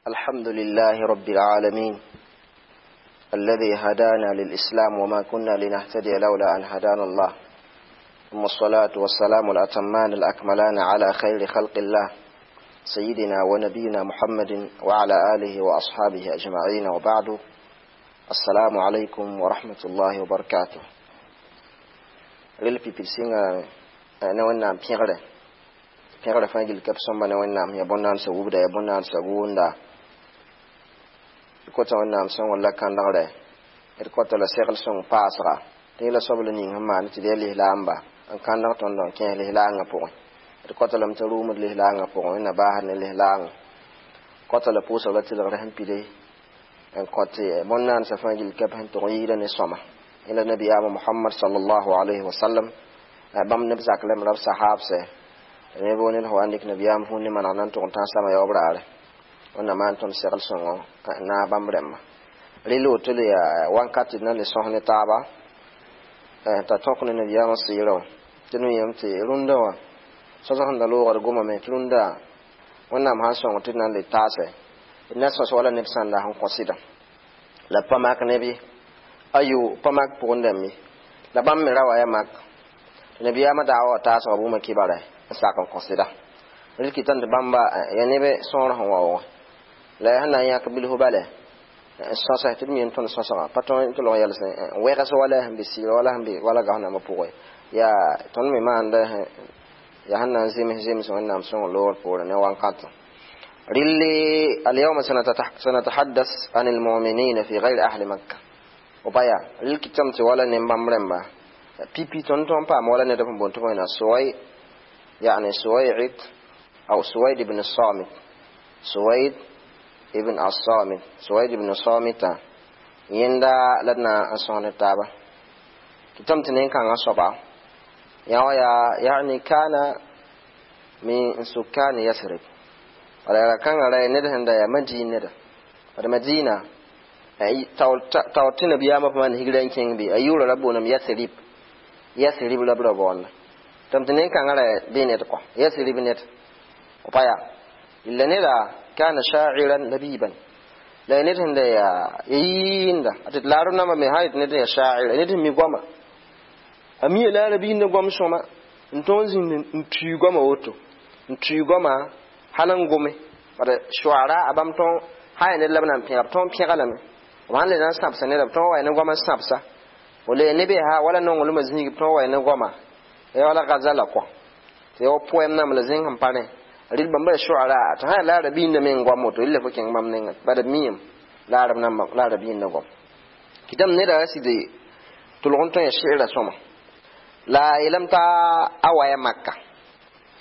الحمد لله رب العالمين الذي هدانا للإسلام وما كنا لنهتدي لولا أن هدانا الله، ثم الصلاة والسلام الأتمان الأكملان على خير خلق الله سيدنا ونبينا محمد وعلى آله وأصحابه أجمعين، وبعد. السلام عليكم ورحمة الله وبركاته. Rel pipil sɩnga ne Wẽnnaam pẽgre pẽgrã fãa gill ka b sõmba ne Wẽnnaam ya bõn-naandsã wubda ya bõn-naandsã gʋʋnda. D kota Wẽnnaam sõngr la kãndgre, d kota la segl sõng paasga tɩ la soab la ning sẽn maan tɩ d yaa lislaamba n kãndg tõnd n kẽes lislaangã pʋgẽ. D kota lame tɩ rʋʋmd lislaangã pʋgẽ, Wẽnna baasd ne lislaangã kota la pʋʋsg la tɩlgr sẽn pide n kõt bõn-naandsã fãa gill ka b sẽn tʋg n yɩɩda ne sõma ila nabiyaama Muhammad sallallahu alayhi wa sallam, bãmb neb zak lame ra b sahaabsɛ ne bo ned wa n dɩk nabiyaam vũun ne maneg na n tʋg n tãas sama yaoob raare. Wẽnnaam maan tõnd segl sõngo naas bãmb rẽmba. Rɩla woto le yaa wãnkat tɩ d na le sõs ne taaba t'a tõk ne nabiyaamã sɩɩrã wã tɩ d yãmb tɩ rũndã wã sõsg sẽn da loogd gomame tɩ rũndã Wẽnnaam sãn sõng tɩ d na n le taasɛ d na sõs wala neb sãnda sẽn kõ sɩda la pa mak neb ye ayo pa mak pʋgẽ dãmb ye la bãmb me ra wa yaa mak tɩ nabiyaamã daawa wa taasga bũmb kibara n sak n kõ sɩda rel kɩtame tɩ bãmba yaa neb sõor sẽn wa wʋgẽ la yaa sẽn na n yãk bilf bala n sõsɛ tɩ d mi n tõnd sõsga pa tõe tɩ log yɛls n wɛgs wala sẽn be sɩɩrã wala sẽn be wala gaos nambã pʋgẽ yaa tõnd me maanda yaa sẽn na n zems zems Wẽnnaam sõng loogr poorẽ ne wãnkãtã. Rɩlli اليوم سنتحدث عن المؤمنين في غير أهل مكة. وبايا rɩl kɩtame tɩ wala ne bãmb rẽmba pipi tõnd tõn paam wala ned sẽn boond tɩ bõe Suway, يعني سويعد أو سويد بن الصامت، سويد ابن الصامت، سويد بن الصامت yẽnda la d na n sõs ne taaba kɩtame tɩ nen-kãngã soaba yã wa yaa يعني كان من سكان يثرب wala yaa kãngã ra ned sẽn da yaa Madin neda bad Madina taoor tɩ nabiyaamã pa maan higra n kẽng be a yʋʋra ra booname Yathrib, Yathrib la b ra boonda tɩ nen-kãngã ra bee ned kɔ Yathrib ned pa yaa illa neda كان شاعرا لبيبا la ned sẽn da yaa yɩɩnda tɩ laarb nambã me sã yetɩ ned yaa shaa'ir ned sẽn mi goama a mi la arabiinda goam sõma n tõog zĩnd n tui goama woto n tui goama hal n gome bad shuara a bãmb tõog sã yaa ned la b na n pẽga b tõog pẽga lame b sãn le na n sãbsa neda b tõog wa ne goama n sãbsa wala neb yaa wala nonglmã zĩig b tõog wa ne goama ya wala gazala kɔ tɩ ya wa poɛm nam la zẽng sẽn pa rẽ rɩl bãmba ya shuara tɩ sã yaa la arabiinda me n goam woto rɩla fo kẽng bãmb nengẽ bad b miime la arab namba la arabiinda goam kɩtame neda ra sɩd tʋlg n tõe ya sɩɩra sõma la yeelame t'a a waya Maka,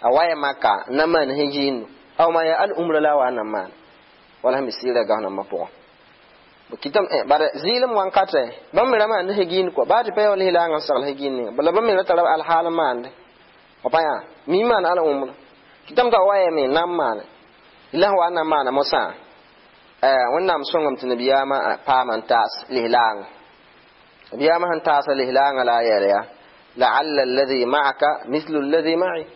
a waya Maka n na maan hĩjiindo aw ma yaa al umra la a wa n na maan wala sẽn be sɩɩrã gaos nambã pʋgã kɩtame bara zɩɩlem wãnkatɛ bãmb me ra maand hegiin kɔ baa tɩ pa yaa lislaangã n segl hegiin ninga la bãmb me ra tara alhaal n maande pa yaa mi maan al umra kɩtame t'a wayame n na n maane la sẽn wa n na n maana mosã Wẽnnaam sõngame tɩ nabiyaamã paama n taas lislaangã nabiyaamã sẽn taasa lislaangã la a yeela yaa لعل الذي معك مثل الذي معي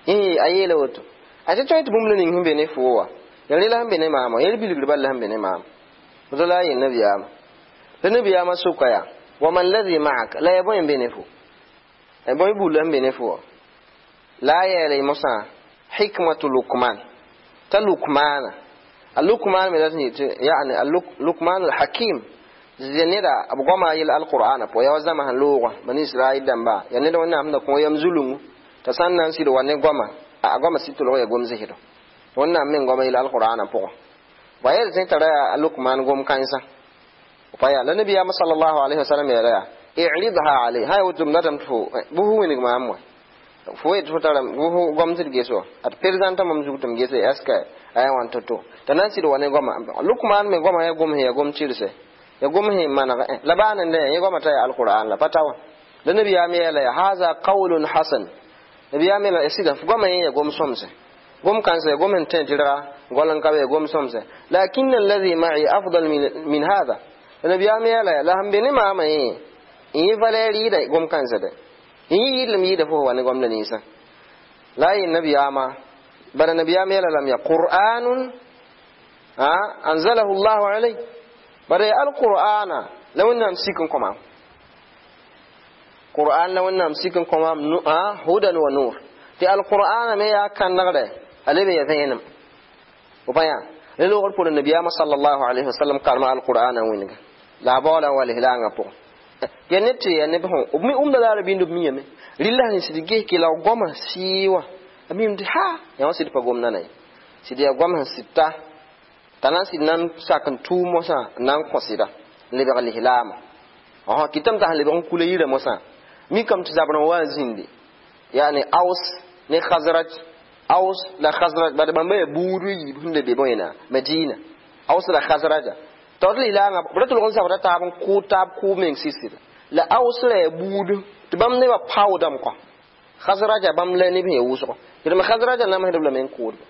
eh a yeela woto a tɩ tõe tɩ bũmb la ning sẽn be ne fo wa ya rela sẽn be ne maama yẽl bilgr bal la sẽn be ne maama woto la a yel nabiyaamã la nabiyaamã soka yaa وما الذي معك la ya bõe n be ne fo bõe bull sẽn be ne fo wa la a yeela mosã حكمة لقمان t'a Lukmana a Lukman me dat n yetɩ يعني لقمان الحكيم zɩ neda b goama yel alqur'ana pʋgã yaa wa zãma sẽn loogã bani Israɛl dãmba yaa ned Wẽnnaam sẽn da kõ yam zulungu t'a sã n na n sɩd wa ne goama a goama sɩd tʋlg yaa gom zɩsdɔ Wẽnnaam meng goama yel alqur'ana pʋgã wa yel tẽ tara yaa Lukman gom kãensã pa yaa la nabiyaamã صلى الله عليه وسلم yeela yaa اعرضها علي hay woto m datame tɩ fo bʋ fo wĩneg maam wa fo yet fo tara bʋ fo gom tɩ d ges wa ad présenta mam zug tɩ m gese est ce que a yaa wãn to-to t'a na n sɩd wa ne goama Lukman me goama yaa gom sẽn yaa gom tɩrse ya gom sẽn maneg la baa nende yẽ goama t'a yaa alqur'an la pa ta wã la nabiyaam yeela ya هذا قول حسن nabiyaam yeela sɩda f goama yẽ yaa gom sõmse gom kãnsã ya gom sẽn tẽ tɩrga gol n ka be ya gom sõmse لكن الذي معي أفضل من هذا la nabiyaam yeela la sẽn be ne maamã yẽ yẽ valɛɛr yɩɩda gom kãnsã dɛ yẽ yɩɩdlem yɩɩda fo wa ne gomda ninsã la a yel nabiyaamã bara nabiyaam yeela lame ya قرآن. Anzalahu llahu alayh. Bara alqur'ana la wẽnnaam sik n kõmam qur'an la wẽnnaam sik n kõmam hudan wa nur. Tɩ alqur'ana me yaa kãnegdɛ a leb n ya vẽenem. Pa yã la loogr pʋgẽ nabiyaamã sallallahu alayhi wasallam karema alqur'ana wĩnga la a baoola n wa lislaangã pʋgẽ. Ya ned tɩ ya neb sẽn b wʋmda la a rabind b miyame rɩlla sẽn sɩd ges kɩ la goamã sɩɩ wã a mim tɩ ha yã wã sɩd pa gom nana ye sɩd yaa goam sẽn sɩd ta t'a na n sɩd na n sak n tʋʋm mosã n na n kõ sɩda n lebg lislaamã kɩtame t'a sẽn lebg n kula yirã mosã mikame tɩ zabr n wa n zĩndi yani Aus ne Khazraj, Aus la Khazraj bad bãmba yaa buud yiib sẽn da be bõe Madina, Aus la Khazraja t'a wat lislaangã b ra tʋlg n zabda taab n kʋʋd taab kʋʋb meng sɩsɩda la Aus ra yaa buud tɩ bãmb nebã paoodame kɔ Khazraja bãmb la neb sẽn yaa wʋsgo tɩ Khazraja namsdb lame n kʋʋdba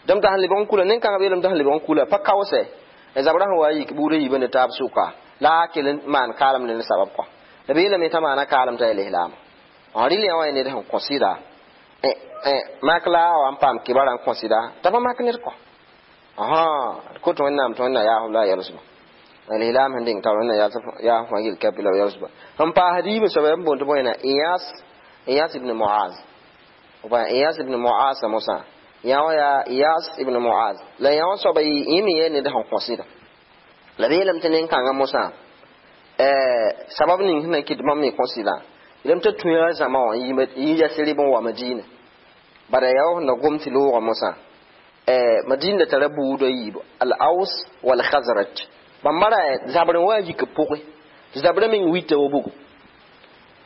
dãmb t'a sẽn lebg n kula nin-kãngã beelame t'a sẽn lebg n kula pa kaoosɛ zabrã sẽn wa yik buudã yiibã ne taab sʋka la a kell n maan kaalem ne sabab kɔ la beelame t'a maana kaalem t'a yaa lislaamã rɩl yã wã ya ned sẽn kõ sɩda mak la a wa n paam kibara n kõ sɩda t'a pa mak ned kɔ kot wẽnnaam tɩ wẽnna yaasb la a yɛlsba lislaam sẽn deng tar wẽnna yaasb fãa yel kapi la yɛlsba sẽn paasd yiibã soaba n boond tɩ bõe Iyas, Iyas ibn Muaz. Iyas ibn Muaz mosã yã wã yaa Iyas ibn Muaz la yã wã soaba yẽ me yaa ned sẽn kõ sɩda la beelame tɩ nin-kãngã mosã sabab ning sẽn na n kɩt bãmb me kõ sɩda yeelame t'a tũ yaa zãma wã n yi Yasrib n wa Madina bara yaa wa sẽn da gom tɩ loogã mosã Madina da tara buudã yiibu al Aus wal Khazraj bãmba ra zabr n wa yik b pʋgẽ tɩ zabrã meng wita wa bugu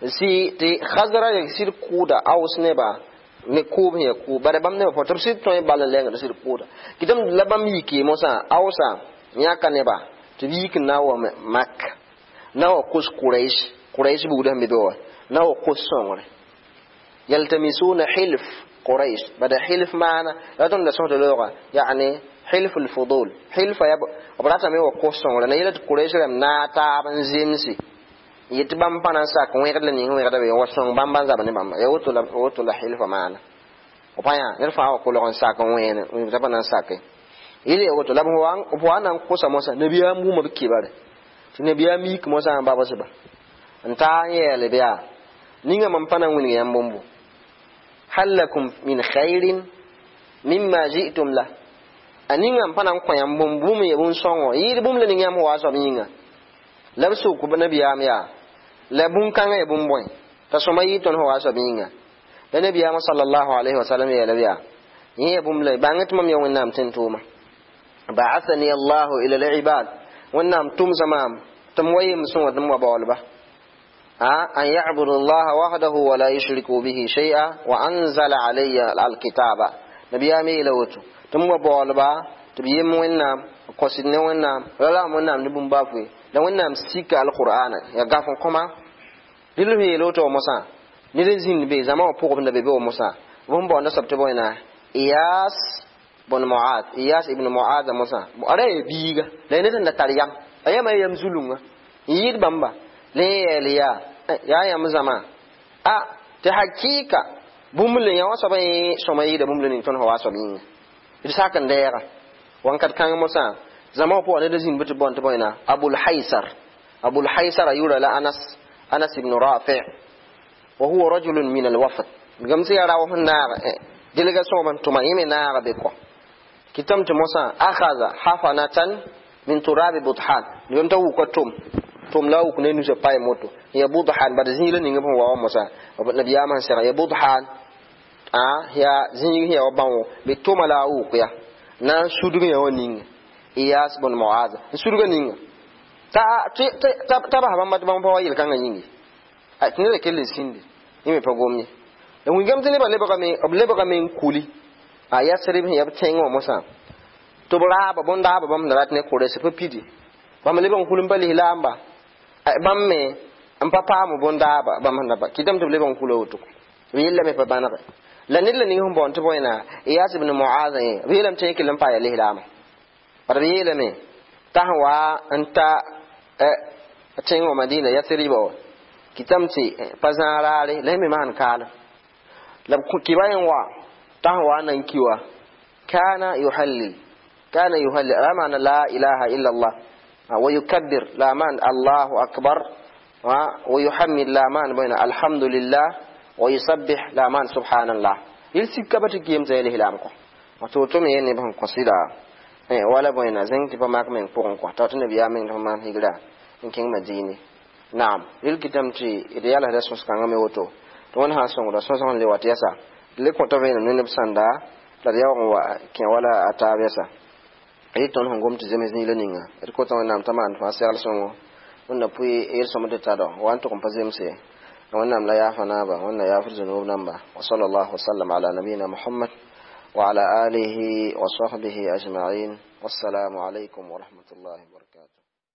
sɩ tɩ Khazraj sɩd kʋʋda Aus neba ne kʋʋb sẽn yaa kʋʋb bara bãmb nebã tɩ b sɩd tõe bal n lengd sɩd kʋʋda kɩtame la bãmb yike mosã Ausa yãka neba tɩ b yik n na n wa Mak na wa kos Quraish, Quraish buudã sẽn be be wã na wa kos sõngre yaltamisuna hilf Quraish bada hilf maana la tõnd da sõsd loogã yani hilf al-fudul hilfa ya b ratame wa kos sõngre na yela tɩ Quraish rãmb naag taab n zemse yetɩ bãmb pa na n sak wẽgd la ning wẽgda be wa sõng bãmb n zab ne bãmba ya woto la hilfa maana pa yã ned fãa wa kolg n sak n wẽene t'a pa na n sake yel ya woto la b wa na n kosa mosã nabiyaam wʋma b kibare tɩ nabiyaam yik mosã n babsba n taa n yeele bɩ yaa ninga mam pa na n wilg yãmb bũmbo hal lakum min khairin mimma ji'tum la a ninga n pa na n kõ yãmb bũmb bũmb ya bũn-sõngo yɩɩd bũmb la ning yãmb wa soab yĩnga la b sʋk nabiyaam yaa la bũn-kãngã ya bũmb bõe t'a sõma yɩɩd tõnd sẽn wa soab yĩnga la nabiyaamã sallallahu alayhi wa sallam yeela b yaa yẽ ya bũmb la bãng tɩ mam ya wẽnnaam tẽn tʋʋma ba'athani allahu ila al-ibad wẽnnaam tʋmsa maam tɩ m wa yem sõnga tɩ m wa baoolba أن يعبدوا الله وحده ولا يشركوا به شيئا وأنزل علي الكتاب نبي أمي لوتو تم بولبا تبيم وينام قصدنا وينام لا وينام نبوم بافوي لا وينام سيك القرآن يا غافون كما دلو هي لوتو موسى نيرزين بي زما بوغ نبي بي موسى بوم بو نسب تبوينا إياس بن معاذ إياس ابن معاذ موسى أري بيغا لا نتن تاريام أيام أيام زولونغا ييد بامبا le ya ya yãmb zãma a tɩ hakɩɩka bũmb le yã wã soab n sõma yɩɩda bũmb le ning tõnd sẽn wa soab yĩnga d sak n dɛɛga wãnkat kãng mosã zãma wã pʋgã ned zĩnd bɩ tɩ bõn tɩ bõe Abul Haysar, Abul Haysar a yʋra la Anas, Anas ibn Rafi' wa huwa rajulun min al-wafd gam sẽn yaa rao sẽn naag dɩlga sõgb n tʋma yẽ me naaga be kɔ kɩtame tɩ mosã akhadha hafanatan min turabi buthan gam t'a wuka tom tom la wuk ne nusa pay moto ya budhan bad zĩig la ning b sẽn wa wa mosã nabiyaamã sẽn sega ya budhan a ya zĩig ya wa bãong bɩ toma la a wʋk ya na n sudg yã wã ninga Iyas bn Muaz n sudga ninga t'a bas bãmba tɩ bãmb pa wa yel-kãngã yĩnge tɩ neda kell n sĩnde yẽ me pa gom ye la wĩngame tɩ nebã b lebgame n kuli a Yasrib sẽn yaa b tẽng wã mosã tɩ b raaba bõn-daaba bãmb sẽn rat ne Kʋrɛs pa pidi bãmb leb n kul n pa lislaamba bãmb me n pa paam bõn-daaba bãmb sẽn da pa kɩtame tɩ b leb n kula woto b yellame pa bãnege la ned la ning sẽn boond tɩ bõe Iyas ibn Muaz yẽ b yeelame tɩ yẽ kell n paa yaa lislaamã bad b yeelame t'a sẽn wa n ta tẽng wã Madina Yasriba wã kɩtame tɩ pa zãag raare la yẽ me maan kaalem la b kɩba yẽ wa t'a sẽn wa n na n ki wa kana yuhallil Kana yuhallil la ma'na la ilaha illa Allah wa yukabbir la ma'na Allahu akbar wa yuhammid la ma'na bayna alhamdulillah wa yusabbih la ma'na subhanallah. Yel sika ba tɩ geem t'a yel ko to to me ne ban kosida wala boyna zẽng tɩ pa mak meng pʋgẽ kõ t'a tɩ nabiyaam meng tɩ pa maan higra n kẽng Madine. Naam, rel kɩtame tɩ d yalsda sõs-kãngã me woto tɩ wẽnd sã n sõngda sõsg n le wat yɛsa d le kõta vẽenem ne neb sãnda la d yaoog n wa kẽ wala a taab yɛsa y tõnd sẽn gom tɩ zems niila ninga d kota Wẽnnaam t'a maan fãa segl sõngo wẽnna pʋɩ yel-sõmd tɩ tado wa n tʋg n pa zemse. Wẽnnaam la yaafa naaba, Wẽnna yaafd zunub namba. Wa sallallahu wasallam ala nabiyina Muhammad wa ala alihi wa sahbihi ajma'in. Wassalamu alaykum wa rahmatullahi wa barakatuh.